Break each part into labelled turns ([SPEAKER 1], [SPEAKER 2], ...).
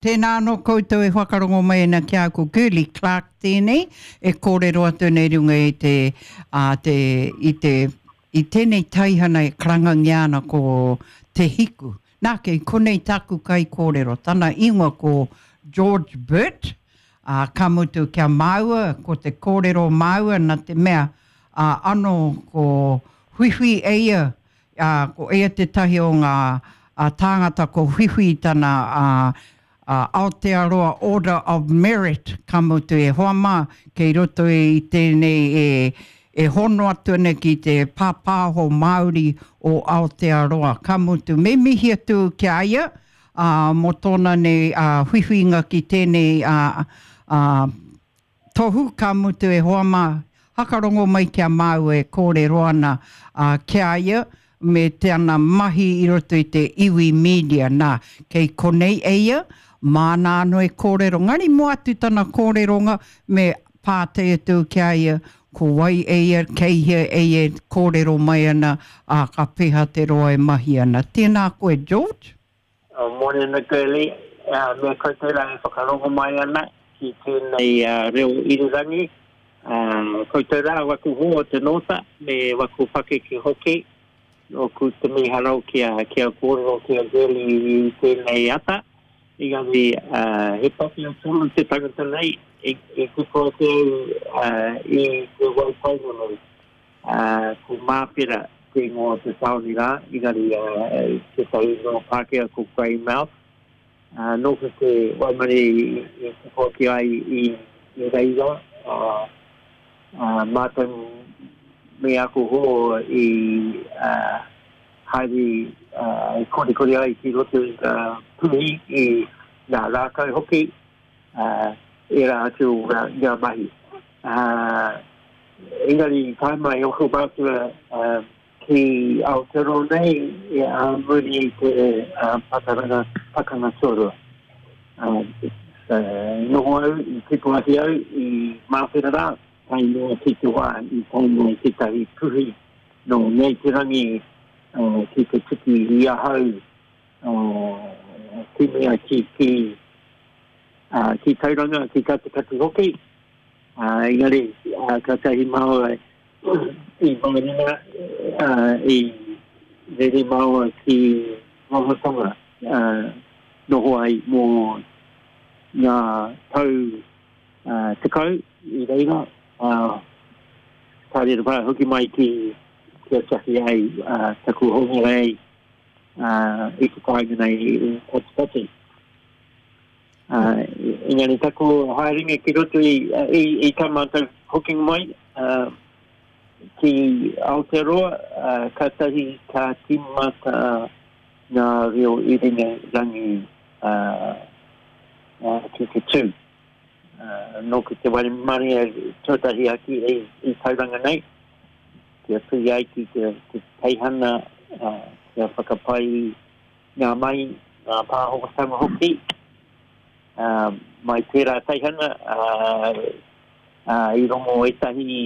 [SPEAKER 1] Tēnā anō koutou e whakarongo mai ana ki a ko Girlie Clarke tēnei e kōrero atu nei runga i te, ā, te, i te, i tēnei taihana e karangangia ana ko Te Hiku. Nā, kei konei tāku kaikōrero, tana ingoa ko George Burt, ā, ka mutu kia māua, ko te kōrero māua nā te mea, ā, anō ko Huihui Eia ā, ko ia tētahi o ngā tāngata ko whiwhi i tana Aotearoa Order of Merit, ka mutu e hoa mā, kei roto i tēnei e, e hono atu ana ki te pāpāho Māori o Aotearoa, ka mutu me mihi atu ki a ia, ā, mō tōna nei whiwhinga ki tēnei ā, ā, Tohu, ka mutu e hoa mā, hakarongo mai ki a māua e kōrero ana ki a ia me te ana mahi i roto i te iwi media, nā, kei konei e ia, māna anō e kōrero, ngari moa atu tana kōreronga me pātai atu ki a ia, ko wai e ia, kei hea e ia e kōrero mai ana, ā, ka pēhea te roa e mahi ana. Tēnā koe George.
[SPEAKER 2] Morena Gurley, me koutou rā e whakarongo mai ana ki tēnei reo irirangi. Koutou rā waku hoa o te nōta me waku pakeke hoki. Nōku te mīharo kia, kia kōrero ki a Gurley i tēnei ata. Engari he pakia tonu te tangata nei i, i kupu ake au i te Waipounamu nei. Ko Māwhera te ingoa o te tāone rā, engari tētahi ingoa Pākehā ko Greymouth. Nōku te waimarie i tupu ake ai i reira, mātou me aku hoa i haere i korikori ai ki roto i ngā puhi, i ngā rākau hoki. ā, ērā atu o ngā, ngā mahi. Ā, engari i tae mai ōku mātua ki Aotearoa nei i ā muri i te pakaranga, pakanga tuarua. Ā, noho au, i tipu ake au i Māwhera rā, tae noa ki te wā i tae mai tētahi puhi nō Ngāi Te Rangi ki te tiki i ahau ki mea ki, ki, ki Tauranga, ki Katikati hoki. Engari, kātahi māua i Mairena, i rere māua ki Rarotonga, noho ai mō ngā tau 10 i reira, ka rere hoki mai ki kia tiaki ai taku hongorei i te kāinga nei i Katikati. Engari taku haerenga ki roto i, i, i tā mātou hokinga mai ki Aotearoa, kātahi ka tīmata ngā reo iringa rangi ki te tū. Nōku te waimarie tuatahi ake i, i Tauranga nei, kia tui ai ki te, te teihana, kia whakapai ngā mahi, ngā pāhotanga hoki, mai tērā teihana, i rongo ētahi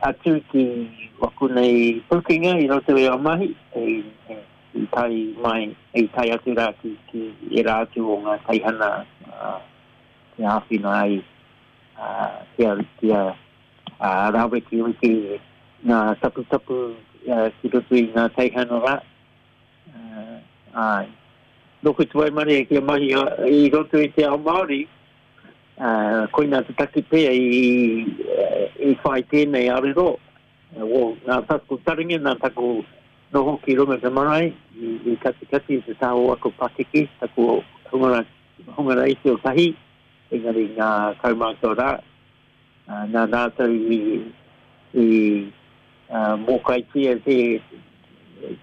[SPEAKER 2] atu ki waku nei pūkenga i roto i a mahi, i, i tae mai, i tae atu rā ki, ki ērā atu o ngā teihana, kia āwhina ai, kia, kia rāwekeweke ngā taputapu ki roto i ngā teihana rā. Āe. Nōku te waimarie kia mahi i roto i te ao Māori, koina te take pea i, i whai tēnei arero, o ngā taku taringa, nā taku noho ki runga te marae, i, i katikati i te taha o aku pakeke, taku hunga, hunga reiti o tahi, engari ngā kaumātua rā, nā rātou i, i mōkaitia te,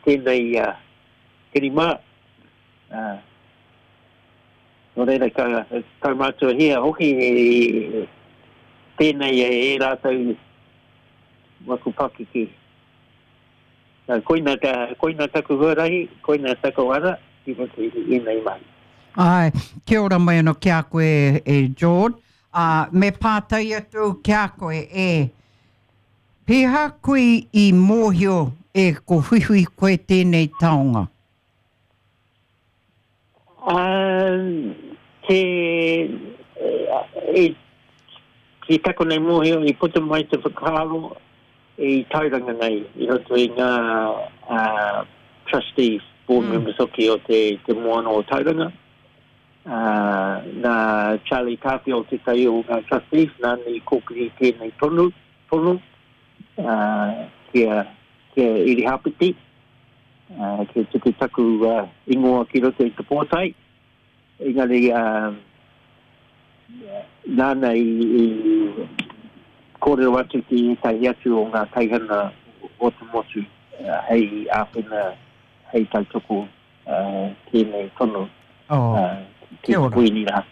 [SPEAKER 2] tēnei kirimā. Nō reira, ka kaumātuahia hoki tēnei e rātou waku pakeke. Koina, koina taku huarahi, koina taku ara ki roto i ēnei mahi.
[SPEAKER 1] Āe, kia ora mai anō ki a koe e George. Ā, me pātai atu au ki a koe, e, pēhea koe i mōhio e ko whiwhi koe tēnei taonga?
[SPEAKER 2] Ā, Te, i, ki taku nei mōhio, i puta mai te whakaaro i Tauranga nei, i roto i ngā uh, trustees, board mm. members hoki o te, te moana o Tauranga. Uh, nā Charlie Tāwhiao tētahi o ngā trustees, nāna i kōkiri tēnei tonu, tono, uh, kia, kia Irihāpeti, uh, kia tuku taku uh, ingoa ki roto i te pōtae. Engari, nāna i kōrero atu ki ētahi atu o ngā teihana o te motu hei āwhina, hei tautoko tēnei tono ki te Kuini rā.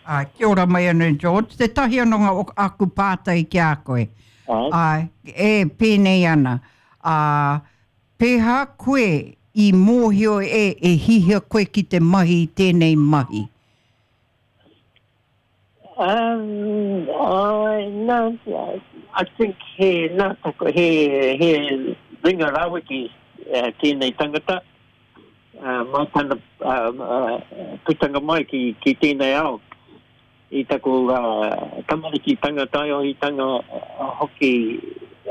[SPEAKER 1] Kia ora mai anō George. Tētahi anō ngā aku pātai ki a koe. Āe, e pēnei ana. Pēhā koe i mōhio e e hihia koe ki te mahi i tēnei mahi?
[SPEAKER 2] Um, I, no, I think he, nā taku, he, he ringa raweke uh, tēnei tangata. Uh, mā tana uh, uh, putanga mai ki, ki tēnei ao. I taku uh, tamarikitanga, taiohitanga uh, hoki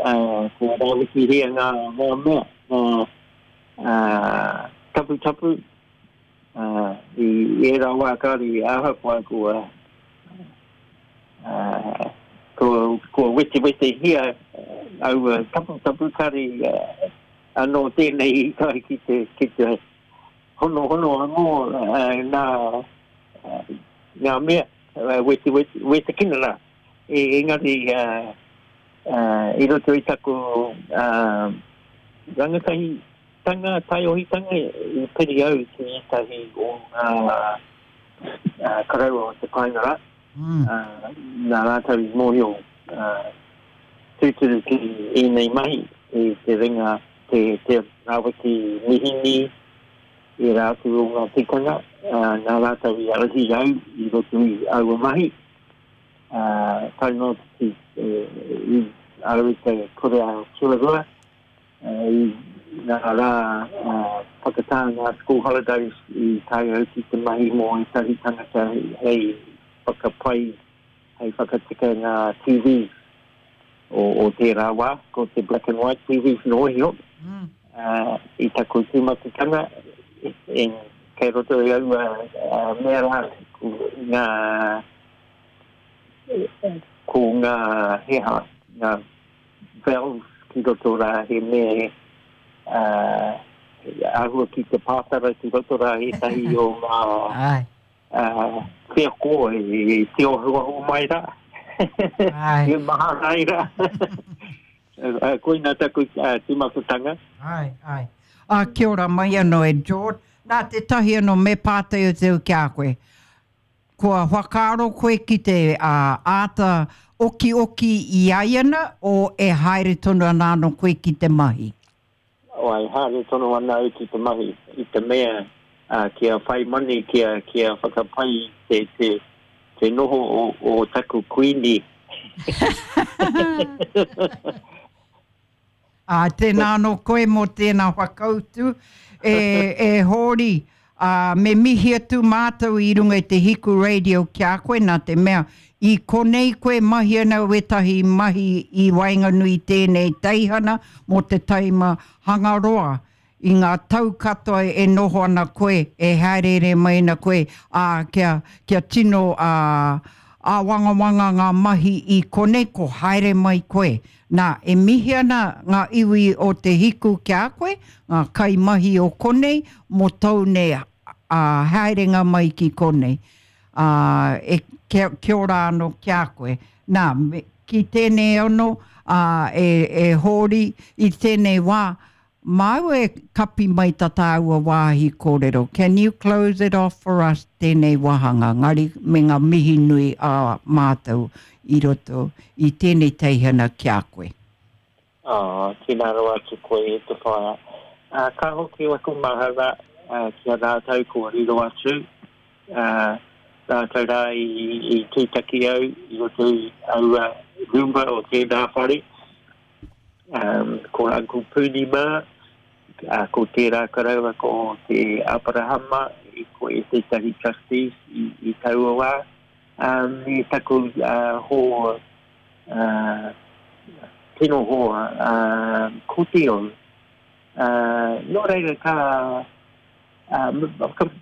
[SPEAKER 2] uh, kua rawekihia ngā, ngā mea, ngā uh, taputapu uh, i ērā wā kāre i ahakoa kua, uh, kua, kua wetewetehia aua taputapu kāre uh, anō tēnei i tae ki te, ki te honohono anō nā ngā mea wetiweti, wetekina rā. Engari i roto i taku rangatahitanga, taiohitanga, i piri au ki ētahi o ngā koroua o te kāinga rā. Nā rātou i mōhio tūturu ki ēnei mahi, te ringa, te rāwekī mihini, ērā atu o ngā tikanga, nā rātou i ārahi au i roto i aua mahi, tae noa ki i au i te kura tuarua, i ngā rā whakatā ngā school holidays i tae au ki te mahi mō ētahi tangata hei whakapai, hei whakatika ngā TV o, o tērā wā, ko te black and white TV noa iho. Mm. I taku tīmatatanga, e, kei roto i aua uh, mea rā, ko ngā, ko ngā heha, ngā valves ki roto rā, he mea uh, āhua ki te pātara ki roto rā ētahi o ngā Uh, wheako i te ohuahu mai rā. Ai. I maha rai rā. uh, koina taku uh, tīmatatanga.
[SPEAKER 1] Ai, ai. Ah, kia ora mai anō e George. Nā tētahi anō me pātai atu au ki a koe. Kua whakaaro koe ki te uh, āta okioki i aiana o e haere tonu ana anō koe ki te mahi?
[SPEAKER 2] E haere tonu ana au ki te mahi i te mea kia whai moni, kia, kia whakapai te, te, te noho o, o taku kuini.
[SPEAKER 1] Ā, tēnā anō koe mō tēnā whakautu. E, e Hōri, Ā, me mihi atu mātou i runga i te Hiku Radio ki a koe, nā te mea, i konei koe mahi ana wētahi mahi i waenganui i tēnei teihana mō te taima Hangaroa. I ngā tau katoa e noho ana koe, e hāereere mai ana koe, ā, kia, kia tino, ā, āwangawanga ngā mahi i konei, ko haere mai koe. Nā, e mihi ana ngā iwi o Te Hiku ki a koe, ngā kaimahi o konei, mō tōu nei haerenga mai ki konei. Ā, e, kia, kia ora anō ki a koe. Nā, me, ki tēnei anō, ā, e, e Hōri, i tēnei wā, Māu e kapi mai ta tāua wāhi kōrero, can you close it off for us tēnei wāhanga, ngari me ngā mihi nui a mātou i roto i tēnei teihana ki a koe.
[SPEAKER 2] Oh, tēnā rawa atu koe e te whaea. Uh, ka hoki waku mahara uh, ki a rātou kua riro atu, uh, rātou rā i, i tūtaki au i roto i aua ruma o tēnā whare. Um, ko Uncle Puni mā, uh, ko tērā karaua ko te Aperahama, e koe e tētahi trustees i, i taua wā. Um, me taku uh, hoa, uh, tino hoa, uh, ko Teo. Uh, nō reira ka uh,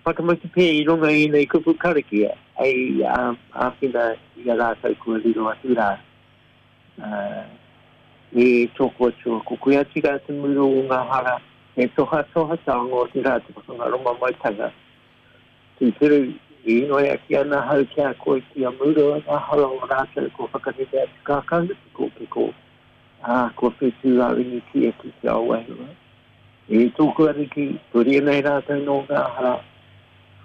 [SPEAKER 2] whakamutu pē i runga i nei kupu karakia, hei um, āwhina i a rātou kua riro atu rā. Uh, e tōku atua, ko koe atu rā te muru o ngā hara, e tohatoha tānga o te rā te whakangaroma maitanga. Tūturu, e inoi ake ana ahau ki a koe kia murua ngā hara o rātou kua whakanene atu kākahu pikopiko, ā, kua whetū-ā-ringitia ki te ao wairua. E tōku Ariki, puria nei rātou nō ngā hara,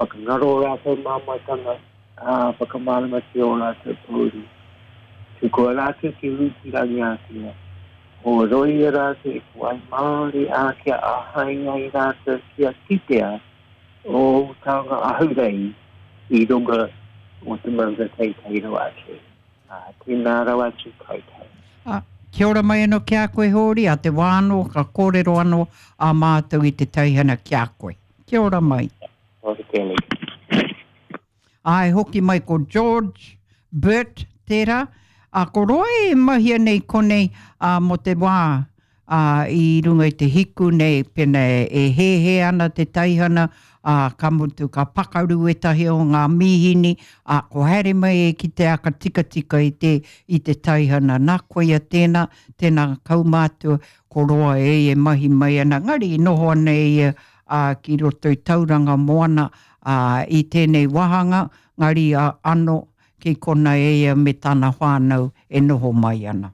[SPEAKER 2] whakangaro ō rātou māmaetanga, ā, whakamāramatia ō rātou pōuri. Tukua rātou ki Ūtirangiātea, horoia rātou i te wai māori, ā, kia āhei ai rātou kia kitea ō taonga ahurei i runga o te maunga teitei rawa atu. Ā, tēnā rawa atu koutou.
[SPEAKER 1] Ā, kia ora mai anō ki a koe Hōri, ā te wā anō ka kōrero anō ā mātou i te teihana ki a koe. Kia ora mai.
[SPEAKER 2] Ora Kelly.
[SPEAKER 1] Āe hoki mai ko George Burt tērā, ā, ko roa e mahia nei konei, ā, mō te wā, ā, i runga i te hiku nei, pēnā e hēhē ana te teihana, ā, ka mutu ka pakaru ētahi o ngā mīhini, ā, ko haere mai e ki te aka tikatika i te, i te teihana. Nā, koia tēnā, tēnā kaumātua, ko roa e e mahi mai ana, engari i noho ana e ia, ā, ki roto i Tauranga Moana, ā, i tēnei wāhanga, ngari anō, ki kona e ia me tana whānau e noho mai ana.